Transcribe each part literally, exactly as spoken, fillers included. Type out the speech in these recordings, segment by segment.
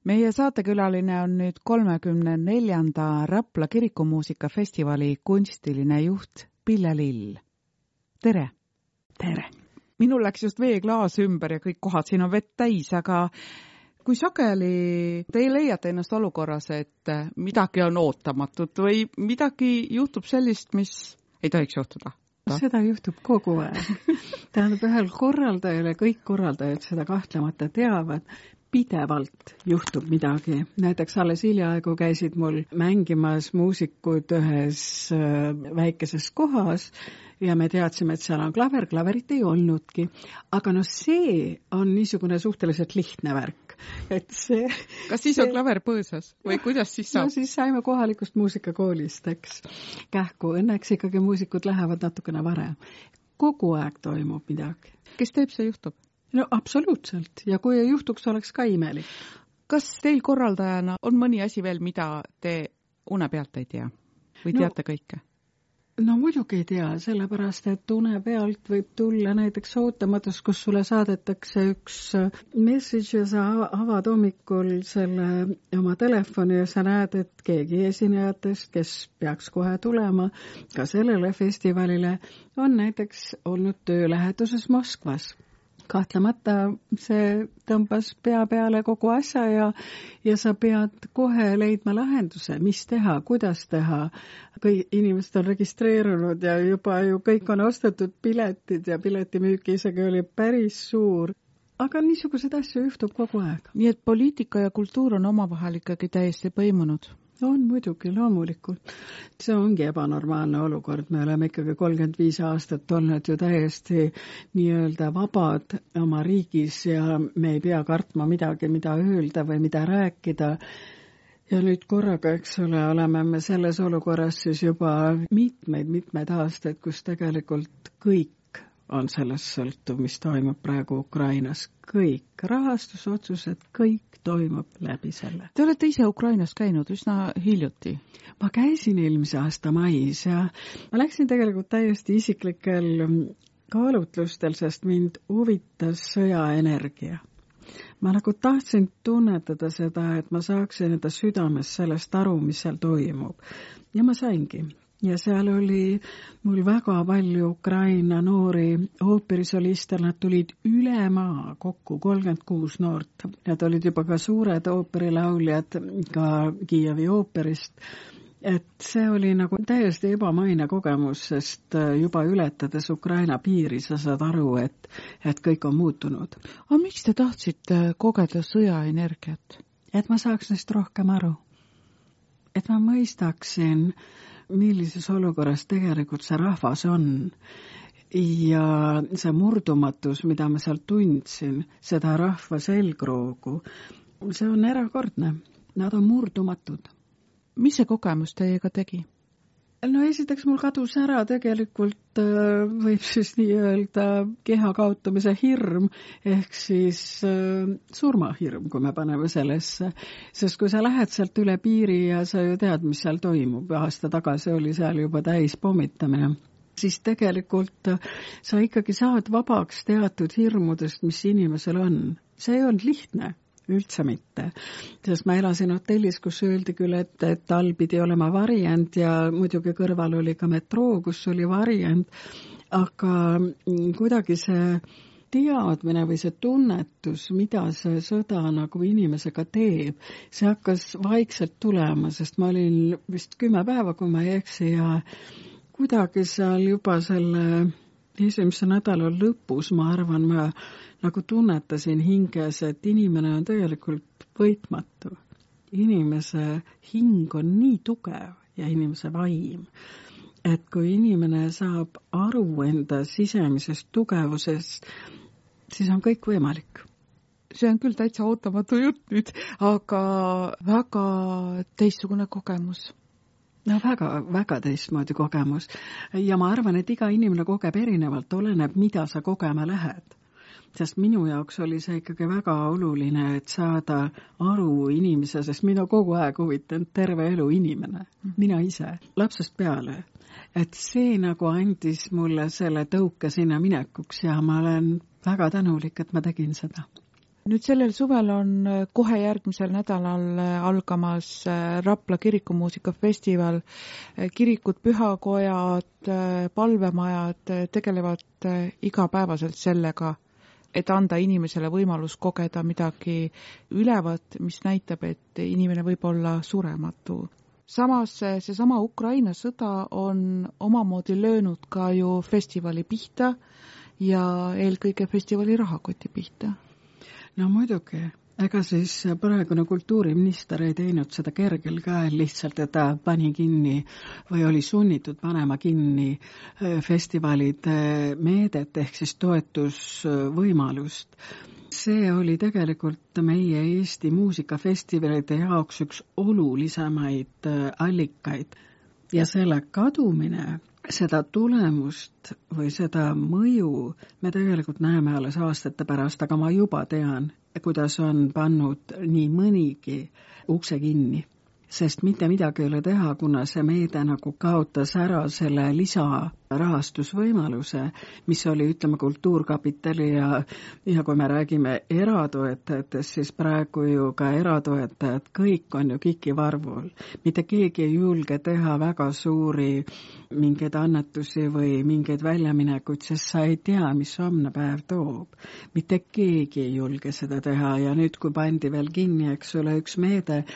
Meie saatekülaline on nüüd kolmekümne neljanda Rapla kirikumuusikafestivali kunstiline juht Pille Lill. Tere! Tere! Minul läks just veeklaas ümber ja kõik kohad siin on vett täis, aga kui sageli te leiate ennast olukorras, et midagi on ootamatut või midagi juhtub sellist, mis ei tohiks juhtuda? Seda juhtub kogu aeg. Tähendab, ühel korraldajale, kõik korraldajad seda kahtlemata teavad, pidevalt juhtub midagi. Näiteks alles hiljaaegu käisid mul mängimas muusikud ühes väikeses kohas ja me teadsime, et seal on klaver, klaverit ei olnudki. Aga no see on niisugune suhteliselt lihtne värk. Et see, Kas siis see... on klaver põõsas või kuidas siis saab? No siis saime kohalikust muusikakoolist, eks. Kähku, õnneks ikkagi muusikud lähevad natukene varem. Kogu aeg toimub midagi. Kes teeb, see juhtub? No absoluutselt. Ja kui ei juhtuks, oleks ka imelik. Kas teil korraldajana on mõni asi veel, mida te une pealt ei tea? Või teate no, kõike? No muidugi ei tea, sellepärast, et une pealt võib tulla näiteks ootamatus, kus sulle saadetakse üks message ja sa avad hommikul selle oma telefoni ja sa näed, et keegi esinejatest, kes peaks kohe tulema ka sellele festivalile, on näiteks olnud töölähetuses Moskvas. Kahtlemata see tõmbas pea peale kogu asja ja, ja sa pead kohe leidma lahenduse, mis teha, kuidas teha. Kõik inimesed on registreerunud ja juba ju kõik on ostetud piletid ja piletimüüki isegi oli päris suur. Aga niisuguseid asju juhtub kogu aeg. Nii et poliitika ja kultuur on omavahel ikkagi täiesti põimunud? On muidugi, loomulikult. See ongi ebanormaalne olukord. Me oleme ikkagi kolmkümmend viis aastat olnud ju täiesti nii-öelda vabad oma riigis ja me ei pea kartma midagi, mida öelda või mida rääkida. Ja nüüd korraga, eks ole, oleme me selles olukorras siis juba mitmeid, mitmeid aastaid, kus tegelikult kõik on sellest sõltuv, mis toimub praegu Ukrainas. Kõik rahastusotsused, kõik toimub läbi selle. Te olete ise Ukrainas käinud üsna hiljuti. Ma käisin eelmise aasta mais ja ma läksin tegelikult täiesti isiklikel kaalutlustel, sest mind huvitas sõjaenergia. Ma nagu tahtsin tunnetada seda, et ma saaksin enda südames sellest aru, mis seal toimub. Ja ma saingi. Ja seal oli mul väga palju Ukraina noori ooperisoliste, nad tulid üle maa kokku, kolmkümmend kuus noort. Nad olid juba ka suured ooperilauljad ka Kiievi ooperist. Et see oli nagu täiesti ebamaine kogemus, sest juba ületades Ukraina piiri sa saad aru, et, et kõik on muutunud. Aga miks te tahtsite kogeda sõjaenergiat? Et ma saaks neist rohkem aru. Et ma mõistaksin, millises olukorras tegelikult see rahvas on. Ja see murdumatus, mida ma seal tundsin, seda rahva selgroogu, see on erakordne. Nad on murdumatud. Mis see kogemus teiega tegi? No esiteks mul kadus ära tegelikult võib siis nii öelda keha kaotamise hirm, ehk siis surmahirm, kui me paneme sellesse. Sest kui sa lähed sealt üle piiri ja sa ju tead, mis seal toimub, aasta tagasi oli seal juba täis pommitamine, siis tegelikult sa ikkagi saad vabaks teatud hirmudest, mis inimesel on. See ei olnud lihtne. Üldse mitte. Sest ma elasin hotellis, kus öeldi küll, et, et tal pidi olema variant ja muidugi kõrval oli ka metroo, kus oli variant, aga kuidagi see teadmine või see tunnetus, mida see sõda nagu inimesega teeb, see hakkas vaikselt tulema, sest ma olin vist kümme päeva, kui ma ei eksi ja kuidagi seal juba selle esimese nädala lõpus, ma arvan, ma nagu tunnetasin hinges, et inimene on tegelikult võitmatu. Inimese hing on nii tugev ja inimese vaim, et kui inimene saab aru enda sisemisest tugevusest, siis on kõik võimalik. See on küll täitsa ootamatu jutt nüüd, aga väga teistsugune kogemus. No väga, väga teistmoodi kogemus. Ja ma arvan, et iga inimene kogeb erinevalt, oleneb, mida sa kogema lähed. Sest minu jaoks oli see ikkagi väga oluline, et saada aru inimese, sest mina kogu aeg huvitanud terve elu inimene, mina ise, lapsest peale. Et see nagu andis mulle selle tõuke sinna minekuks ja ma olen väga tänulik, et ma tegin seda. nüüd sellel suvel on kohe järgmisel nädalal algamas Rapla kirikumuusikafestival. Kirikud, pühakojad, palvemajad tegelevad igapäevaselt sellega, et anda inimesele võimalus kogeda midagi ülevat, mis näitab, et inimene võib olla surematu. Samas seesama Ukraina sõda on omamoodi löönud ka ju festivali pihta ja eelkõige festivali rahakoti pihta. No muidugi, ega siis praegune kultuuriminister ei teinud seda kergel käel lihtsalt, et ta pani kinni või oli sunnitud panema kinni festivalide meedet ehk siis toetusvõimalust. See oli tegelikult meie Eesti muusikafestivalide jaoks üks olulisemaid allikaid ja selle kadumine, seda tulemust või seda mõju me tegelikult näeme alles aastate pärast, aga ma juba tean, kuidas on pannud nii mõnigi ukse kinni. Sest mitte midagi ei ole teha, kuna see meede nagu kaotas ära selle lisarahastusvõimaluse, mis oli, ütleme, Kultuurkapitali ja, ja kui me räägime eratoetajatest, siis praegu ju ka eratoetajad, kõik on ju kikivarvul. Mitte keegi ei julge teha väga suuri mingeid annetusi või mingeid väljaminekuid, sest sa ei tea, mis homne päev toob. Mitte keegi ei julge seda teha ja nüüd, kui pandi veel kinni, eks ole, üks meede,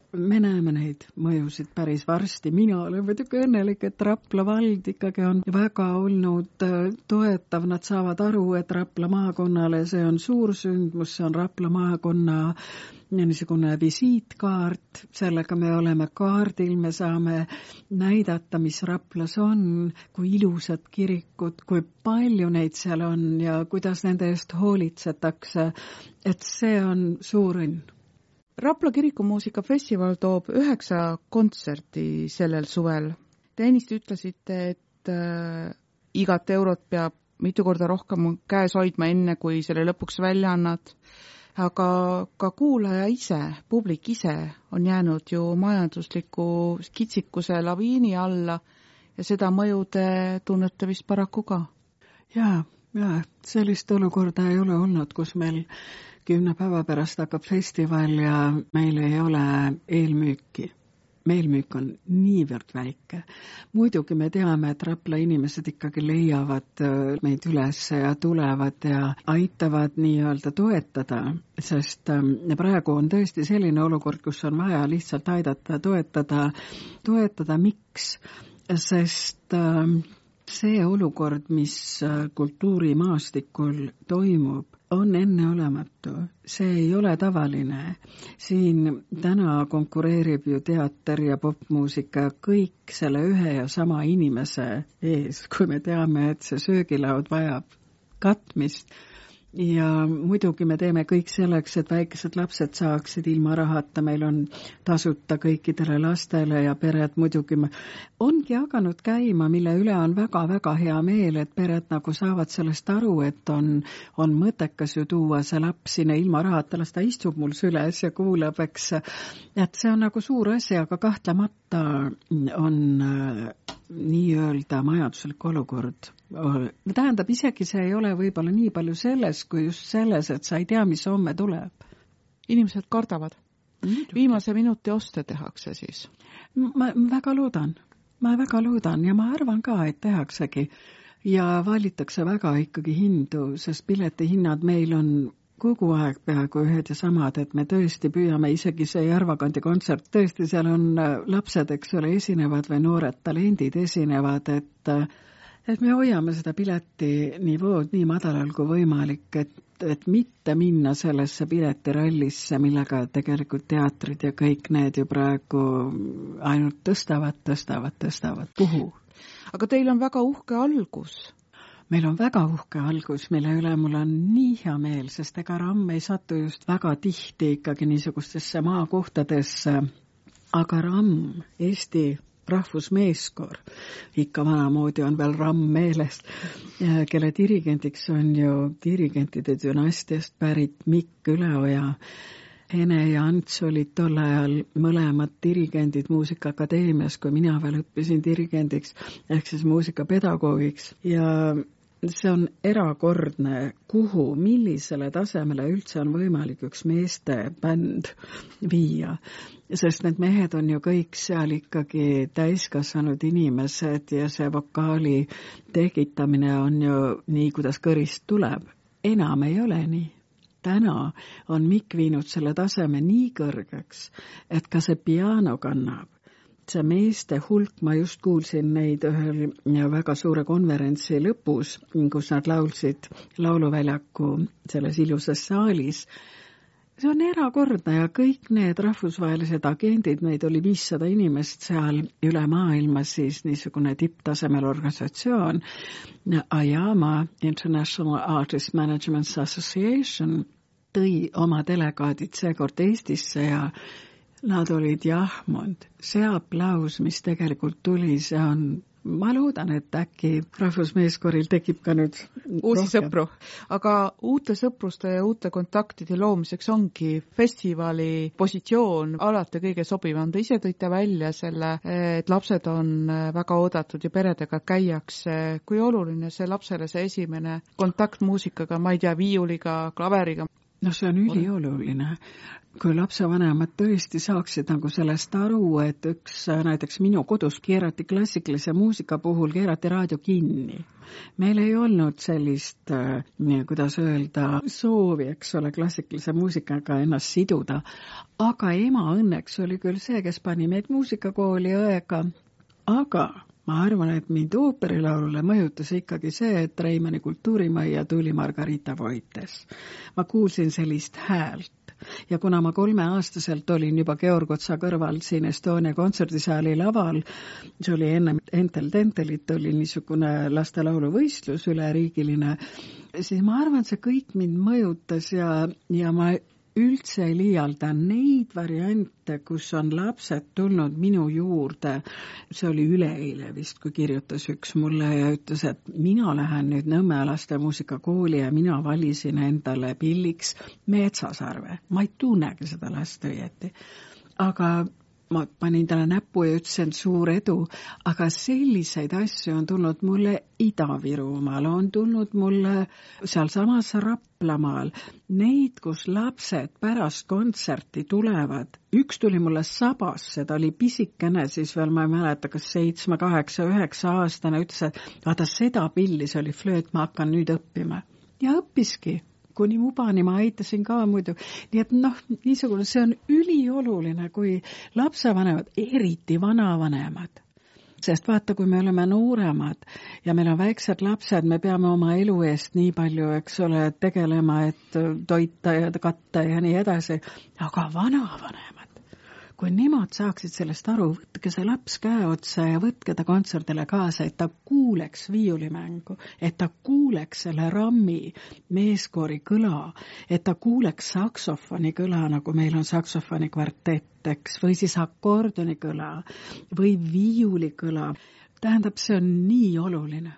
me näeme neid mõjusid päris varsti. Mina olen muidugi õnnelik, et Rapla vald ikkagi on väga olnud toetav. Nad saavad aru, et Rapla maakonnale see on suur sündmus, see on Rapla maakonna niisugune visiitkaart. Sellega me oleme kaardil, me saame näidata, mis Raplas on, kui ilusad kirikud, kui palju neid seal on ja kuidas nende eest hoolitsetakse. Et see on suur õnn. Rapla kirikumuusikafestival toob üheksa kontserti sellel suvel. Te ennist ütlesite, et äh, igat eurot peab mitu korda rohkem käes hoidma enne, kui selle lõpuks välja annad. Aga ka kuulaja ise, publik ise on jäänud ju majandusliku kitsikuse laviini alla ja seda mõjude tunnete vist paraku ka. Jaa, jaa, sellist olukorda ei ole olnud, kus meil kümne päeva pärast hakkab festival ja meil ei ole eelmüüki. Meelmüük on niivõrd väike. Muidugi me teame, et Rapla inimesed ikkagi leiavad meid üles ja tulevad ja aitavad nii-öelda toetada, sest praegu on tõesti selline olukord, kus on vaja lihtsalt aidata, toetada. Toetada miks? Sest see olukord, mis kultuurimaastikul toimub, on enneolematu. See ei ole tavaline. Siin täna konkureerib ju teater ja popmuusika kõik selle ühe ja sama inimese ees, kui me teame, et see söögilaud vajab katmist. Ja muidugi me teeme kõik selleks, et väikesed lapsed saaksid ilma rahata. Meil on tasuta kõikidele lastele ja pered muidugi ongi hakanud käima, mille üle on väga-väga hea meel, et pered nagu saavad sellest aru, et on, on mõttekas ju tuua see laps sinna ilma rahata, las ta istub mul süles ja kuulab, eks. Et see on nagu suur asi, aga kahtlemata on nii-öelda majanduslik olukord. Tähendab, isegi see ei ole võib-olla nii palju selles, kui just selles, et sa ei tea, mis homme tuleb. Inimesed kardavad. Viimase minuti oste tehakse siis. Ma väga loodan. Ma väga loodan ja ma arvan ka, et tehaksegi. Ja valitakse väga ikkagi hindu, sest piletihinnad meil on kogu aeg peaaegu ühed ja samad, et me tõesti püüame, isegi see Järvakandi kontsert, tõesti seal on lapsed, eks ole, esinevad või noored talendid esinevad, et, et me hoiame seda pileti nivood nii madalal kui võimalik, et, et mitte minna sellesse piletirallisse, millega tegelikult teatrid ja kõik need ju praegu ainult tõstavad, tõstavad, tõstavad puhu. Aga teil on väga uhke algus. Meil on väga uhke algus, mille üle mul on nii hea meel, sest ega ramm ei satu just väga tihti ikkagi niisugustesse maakohtadesse, aga ramm, Eesti rahvusmeeskoor, ikka vanamoodi on veel ramm meelest, kelle dirigendiks on ju dirigentide dünastiast pärit Mikk Üleoja. Hene ja Ants olid tol ajal mõlemad dirigendid Muusikaakadeemias, kui mina veel õppisin dirigendiks, ehk siis muusikapedagoogiks. Ja see on erakordne, kuhu, millisele tasemele üldse on võimalik üks meeste bänd viia. Sest need mehed on ju kõik seal ikkagi täiskasvanud inimesed ja see vokaali tekitamine on ju nii, kuidas kõrist tuleb. Enam ei ole nii. Täna on Mikk viinud selle taseme nii kõrgeks, et ka see piano kannab. See meeste hulk, ma just kuulsin neid ühel väga suure konverentsi lõpus, kus nad laulsid lauluväljaku selles ilusas saalis. See on erakordne ja kõik need rahvusvahelised agendid, neid oli viissada inimest seal üle maailma, siis niisugune tipptasemel organisatsioon, AYAMA, International Artist Management Association, tõi oma delegaadid seekord Eestisse ja nad olid jahmunud. See aplaus, mis tegelikult tuli, see on, ma loodan, et äkki rahvusmeeskoril tekib ka nüüd uusi rohkem sõpru. Aga uute sõpruste ja uute kontaktide loomiseks ongi festivali positsioon alati kõige sobivam. Te ise tõite välja selle, et lapsed on väga oodatud ja peredega käiakse. Kui oluline see lapsele see esimene kontakt muusikaga, ma ei tea, viiuliga, klaveriga? No see on ülioluline. Kui lapsevanemad tõesti saaksid nagu sellest aru, et üks näiteks minu kodus keerati klassikalise muusika puhul, keerati raadio kinni. Meil ei olnud sellist, kuidas öelda, soovi, eks ole, klassikalise muusikaga ennast siduda. Aga ema õnneks oli küll see, kes pani meid muusikakooli õega. Aga ma arvan, et mind ooperilaulule mõjutas ikkagi see, et Reimanni kultuurimajja tuli Margarita Voites. Ma kuulsin sellist häält. Ja kuna ma kolmeaastaselt olin juba Georg Otsa kõrval siin Estonia kontserdisaali laval, see oli enne Entel Tentelit, oli niisugune lastelauluvõistlus üleriigiline, siis ma arvan, see kõik mind mõjutas ja, ja ma üldse ei liialda neid variante, kus on lapsed tulnud minu juurde. See oli üleeile vist, kui kirjutas üks mulle ja ütles, et mina lähen nüüd Nõmme laste muusikakooli ja mina valisin endale pilliks Metsasarve. Ma ei tunnegi seda last õieti. Aga ma panin talle näppu ja ütlesin suur edu, aga selliseid asju on tulnud mulle Ida-Virumaal, on tulnud mulle sealsamas Raplamaal, neid, kus lapsed pärast kontserti tulevad. Üks tuli mulle Sabasse, ta oli pisikene, siis veel ma ei mäleta, kas seitsme, kaheksa, üheksa aastane, ütles, et vaata seda pilli, see oli flööt, ma hakkan nüüd õppima. Ja õppiski. Kuni mubani ma aitasin ka muidu. Nii et noh, niisugune, see on ülioluline, kui lapsevanemad, eriti vanavanemad. Sest vaata, kui me oleme nooremad ja meil on väiksed lapsed, me peame oma elu eest nii palju, eks ole, tegelema, et toita ja katta ja nii edasi. Aga vanavanemad, kui nemad saaksid sellest aru, võtke see laps käe otsa ja võtke ta kontserdile kaasa, et ta kuuleks viiulimängu, et ta kuuleks selle rammi meeskoori kõla, et ta kuuleks saksofoni kõla, nagu meil on saksofoni kvartett, eks, või siis akordioni kõla või viiuli kõla. Tähendab, see on nii oluline.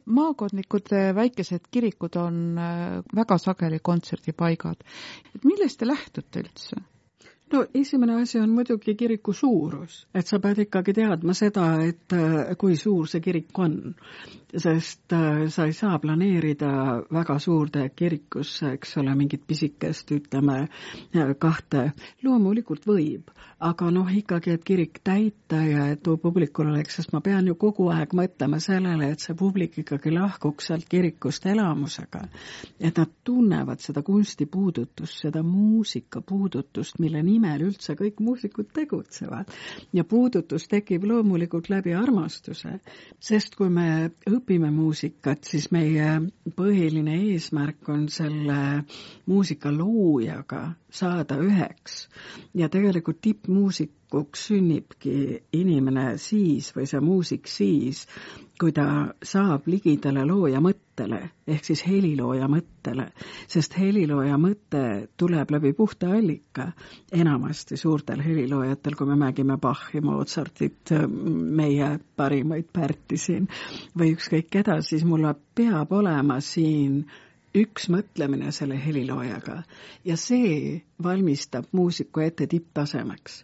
Maakondlikud väikesed kirikud on väga sageli kontserdipaigad. Et millest te lähtute üldse? No esimene asi on muidugi kiriku suurus, et sa pead ikkagi teadma seda, et kui suur see kirik on, sest sa ei saa planeerida väga suurde kirikusse, eks ole, mingit pisikest, ütleme, kahte. Loomulikult võib, aga noh ikkagi, et kirik täita ja et publikul oleks, sest ma pean ju kogu aeg mõtlema sellele, et see publik ikkagi lahkuks sealt kirikust elamusega, et nad tunnevad seda kunstipuudutust, seda muusikapuudutust, mille nii nimel üldse kõik muusikud tegutsevad. Ja puudutus tekib loomulikult läbi armastuse, sest kui me õpime muusikat, siis meie põhiline eesmärk on selle muusika loojaga saada üheks. Ja tegelikult tippmuusikuks sünnibki inimene siis või see muusik siis, kui ta saab ligidale looja mõttele, ehk siis helilooja mõttele, sest helilooja mõte tuleb läbi puhta allika. Enamasti suurtel heliloojatel, kui me mängime Bachi, Mozartit, meie parimaid Pärti siin või ükskõik keda, siis mul peab olema siin üks mõtlemine selle heliloojaga ja see valmistab muusiku ette tipptasemeks.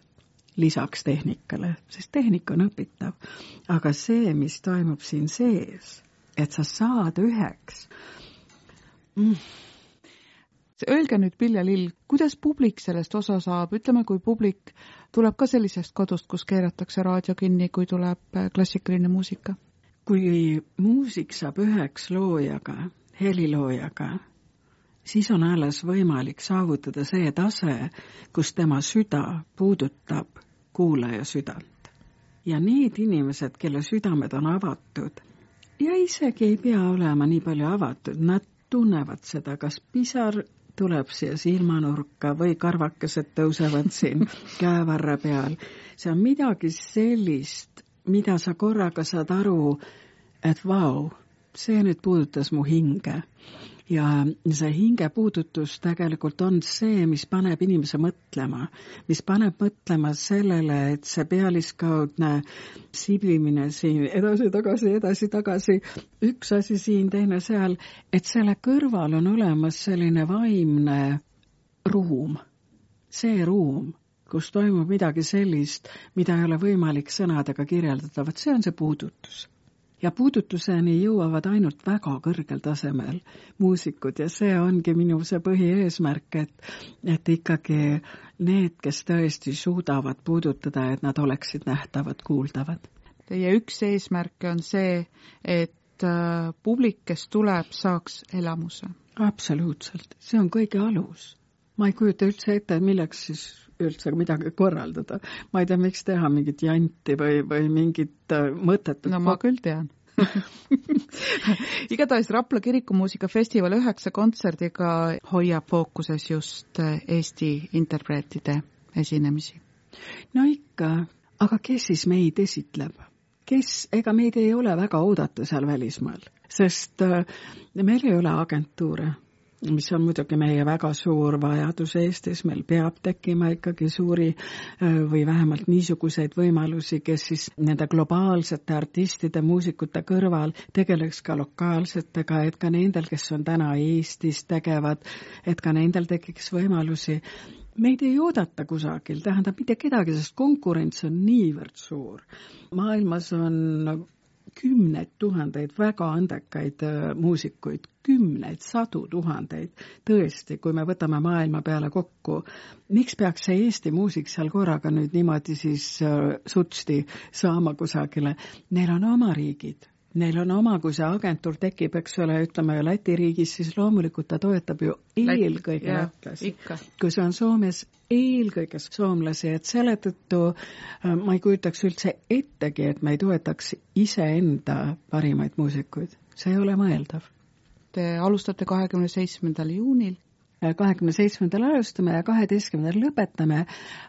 Lisaks tehnikale, sest tehnika on õpitav. Aga see, mis toimub siin sees, et sa saad üheks mm.. Öelge nüüd, Pill ja Lill, kuidas publik sellest osa saab? Ütleme, kui publik tuleb ka sellisest kodust, kus keeratakse raadio kinni, kui tuleb klassikaline muusika? Kui muusik saab üheks loojaga, heliloojaga, siis on alles võimalik saavutada see tase, kus tema süda puudutab kuulaja südant. Ja need inimesed, kelle südamed on avatud, ja isegi ei pea olema nii palju avatud, nad tunnevad seda, kas pisar tuleb siia silmanurka või karvakesed tõusevad siin käevarre peal. See on midagi sellist, mida sa korraga saad aru, et vau, see nüüd puudutas mu hinge. Ja see hinge puudutus tegelikult on see, mis paneb inimese mõtlema, mis paneb mõtlema sellele, et see pealiskaudne siblimine siin edasi-tagasi, edasi-tagasi, üks asi siin, teine seal, et selle kõrval on olemas selline vaimne ruum, see ruum, kus toimub midagi sellist, mida ei ole võimalik sõnadega kirjeldada, vaat see on see puudutus. Ja puudutuseni jõuavad ainult väga kõrgel tasemel muusikud ja see ongi minu see põhieesmärk, et, et ikkagi need, kes tõesti suudavad puudutada, et nad oleksid nähtavad, kuuldavad. Teie üks eesmärk on see, et publik, kes tuleb, saaks elamuse. Absoluutselt, see on kõige alus. Ma ei kujuta üldse ette, milleks siis üldse midagi korraldada. Ma ei tea, miks teha mingit janti või, või mingit mõtetut. No ma küll tean. Igatahes Rapla kirikumuusikafestival üheksa kontserdiga hoiab fookuses just Eesti interpreetide esinemisi. No ikka, aga kes siis meid esitleb? Kes, ega meid ei ole väga oodata seal välismaal, sest meil ei ole agentuure, mis on muidugi meie väga suur vajadus Eestis, meil peab tekkima ikkagi suuri või vähemalt niisuguseid võimalusi, kes siis nende globaalsete artistide, muusikute kõrval tegeleks ka lokaalsetega, et ka nendel, kes on täna Eestis tegevad, et ka nendel tekiks võimalusi. Meid ei oodata kusagil, tähendab mitte kedagi, sest konkurents on niivõrd suur. Maailmas on kümneid tuhandeid väga andekaid muusikuid, kümneid, sadu tuhandeid. Tõesti, kui me võtame maailma peale kokku, miks peaks see Eesti muusik seal korraga nüüd niimoodi siis sutsti saama kusagile? Neil on oma riigid. Neil on oma, kui see agentuur tekib, eks ole, ütleme ju Läti riigis, siis loomulikult ta toetab ju eelkõige lätlasi. Kui see on Soomes, eelkõige soomlasi, et selle tõttu ma ei kujutaks üldse ettegi, et me ei toetaks iseenda parimaid muusikuid. See ei ole mõeldav. Te alustate kahekümne seitsmendal juunil. kahekümne seitsmendal alustame ja kaheteistkümnendal lõpetame,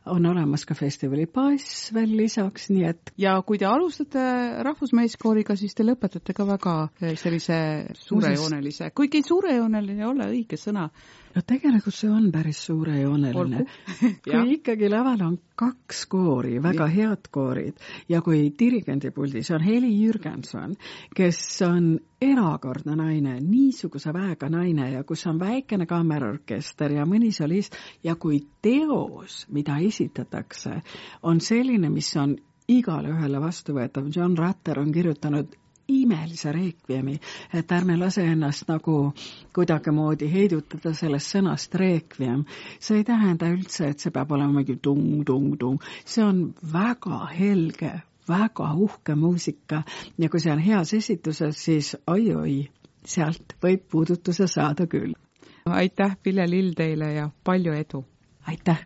on olemas ka festivali pass veel lisaks, nii et... Ja kui te alustate rahvusmeeskooriga, siis te lõpetate ka väga sellise suurejoonelise, kuigi suurejooneline ei ole õige sõna. No tegelikult see on päris suurejooneline. Kui ikkagi laval on kaks koori, väga head koorid, ja kui dirigendipuldis on Heli Jürgenson, kes on erakordne naine, niisuguse väega naine ja kus on väikene kammerorkester ja mõni solist ja kui teos, mida esitatakse, on selline, mis on igale ühele vastuvõetav. John Rutter on kirjutanud imelise reekviemi, et ärme lase ennast nagu kuidagimoodi heidutada sellest sõnast reekviem. See ei tähenda üldse, et see peab olema mingi tung, tung, tung. See on väga helge, väga uhke muusika ja kui see on heas esituses, siis oi-oi, sealt võib puudutuse saada küll. Aitäh, Pill ja Lill teile ja palju edu! Aitäh!